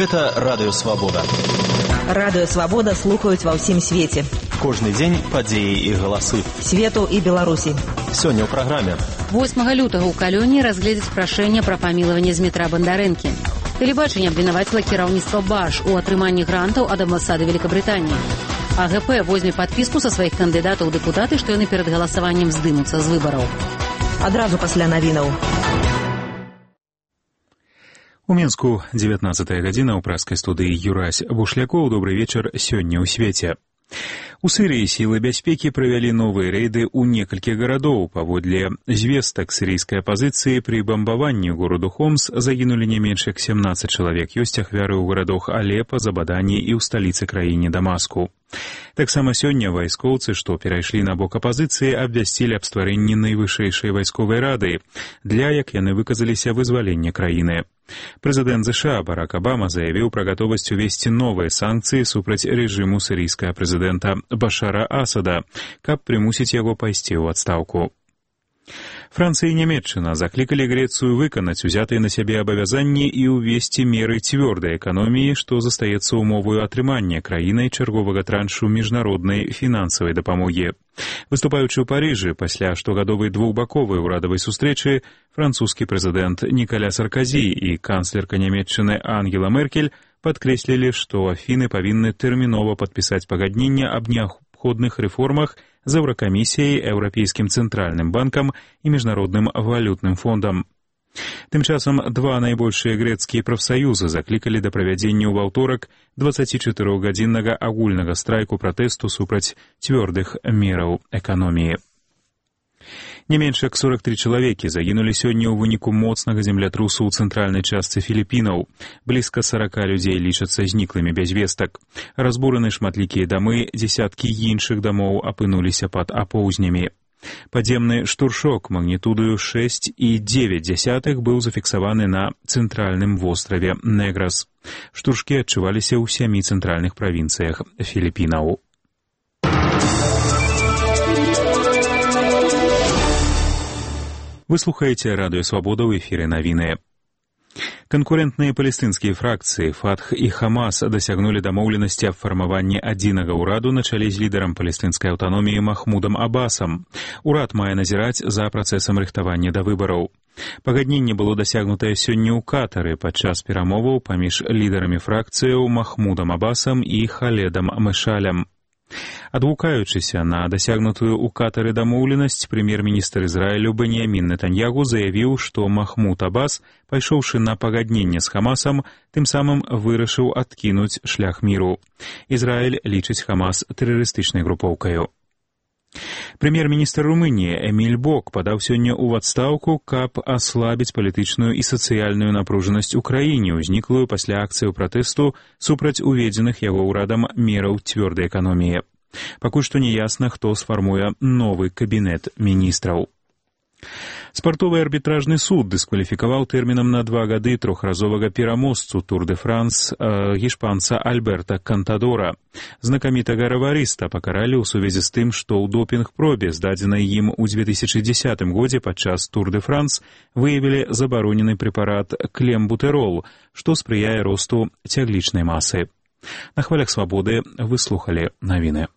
Гэта Радыё Свабода. Радыё Свабода слухаюць ва ўсім свеце. Кожны дзень падзеі і галасы. Свету і Беларусі. Сёння ў праграме. 8 лютага ў Калёні разгледзяць прашэнне пра памілаванне Змітра Бандарэнкі. Тэлебачанне абвінаваціла кіраўніцтва БАШ у атрыманні грантаў ад амбасады Великабрытаніі. АГП возьме падпіску са сваіх кандыдатаў у дэпутаты, што яны перад галасаваннем здымуцца з выбараў. Адразу пасля навінаў. У Мінску 19 гадзіна ў праскай студыі Юрась Бушлякоў. Добрый вечар сёння ў свеце. У Сірыі сілы бяспекі правялі новыя рэйды ў некалькі гарадоў. Паводле звестак сірыйскай апазіцыі пры бамбаванні гораду Хомс загінулі не менш як 17 чалавек. Ёсць ахвяры ў гарадах Алепа, Забадані і ў сталіцы краіне Дамаску. Таксама сёння вайскоўцы, што перайшлі на бок апазіцыі, абвясцілі аб стварэнні найвышэйшай вайсковай рады для, як яны выказаліся, вызвалення краіны. Прэзідэнт ЗША Барак Абама заявіў пра гатовасць увесці новыя санкцыі супраць рэжыму сірыйскага прэзідэнта Башара Асада, каб прымусіць яго пайсці ў адстаўку. Францыя і Нямецчына заклікалі Грэцыю выканаць узятыя на сябе абавязанні і ўвесці меры цвёрдай эканоміі, што застаецца ўмоваю атрымання краінай чарговага траншу міжнароднай фінансавай дапамогі. Выступаючы ў Парыжы пасля штогадовай двухбаковай урадавай сустрэчы, французскі прэзідэнт Нікаля Сарказі і канцлерка Нямецчыны Ангела Меркель падкрэслілі, што Афіны павінны тэрмінова падпісаць пагадненне аб неабходных рэформах з Еўракамісіяй, Еўрапейскім цэнтральным банкам і Міжнародным валютным фондам. Тым часам два найбольшыя грэцкія прафсаюзы заклікалі да правядзення ў аўторак 24-гадзіннага агульнага страйку пратэсту супраць цвёрдых мераў эканоміі. Не менш як 43 чалавекі загінулі сёння ў выніку моцнага землятрусу ў цэнтральнай частцы Філіпінаў. Блізка 40 людзей лічацца зніклымі без вестак. Разбураны шматлікія дамы, дзесяткі іншых дамоў апынуліся пад апоўзнямі. Падземны штуршок магнітудою 6,9 быў зафіксаваны на цэнтральным востраве Неграс. Штуршкі адчуваліся ў 7 цэнтральных правінцыях Філіпінаў. Вы слухаеце Радыё Свабода, ў эфіры навіны. Канкурентныя палестынскія фракцыі Фатх і Хамас дасягнулі дамоўленасці аб фармаванні адзінага ўраду на чале з лідарам палестынскай аўтаноміі Махмудам Абасам. Урад мае назіраць за працэсам рыхтавання да выбараў. Пагадненне было дасягнутае сёння ў Катары падчас перамоваў паміж лідарамі фракцыяў Махмудам Абасам і Халедам Мэшалем. Адгукаючыся на дасягнутую ў Катары дамоўленасць, прэм'ер-міністр Ізраілю Беньямін Нетаньягу заявіў, што Махмуд Абас, пайшоўшы на пагадненне з Хамасам, тым самым вырашыў адкінуць шлях міру. Ізраіль лічыць Хамас тэрарыстычнай групоўкаю. Прэм'ер-міністр Румыніі Эміль Бок падаў сёння ў адстаўку, каб аслабіць палітычную і сацыяльную напружанасць у краіне, узніклую пасля акцыяў пратэсту супраць уведзеных яго ўрадам мераў цвёрдай эканоміі. Пакуль што не ясна, хто сфармуе новы кабінет міністраў. Спартовы арбітражны суд дыскваліфікаваў тэрмінам на 2 гады трохразовага пераможцу Тур-де-Франс гішпанца Альберта Кантадора. Знакамітага раварыста пакаралі ў сувязі з тым, што ў допінг-пробе, здадзенай ім у 2010 годзе падчас Тур-де-Франс, выявілі забаронены прэпарат клембутэрол, што спрыяе росту цяглічнай масы. На хвалях Свабоды вы слухалі навіны.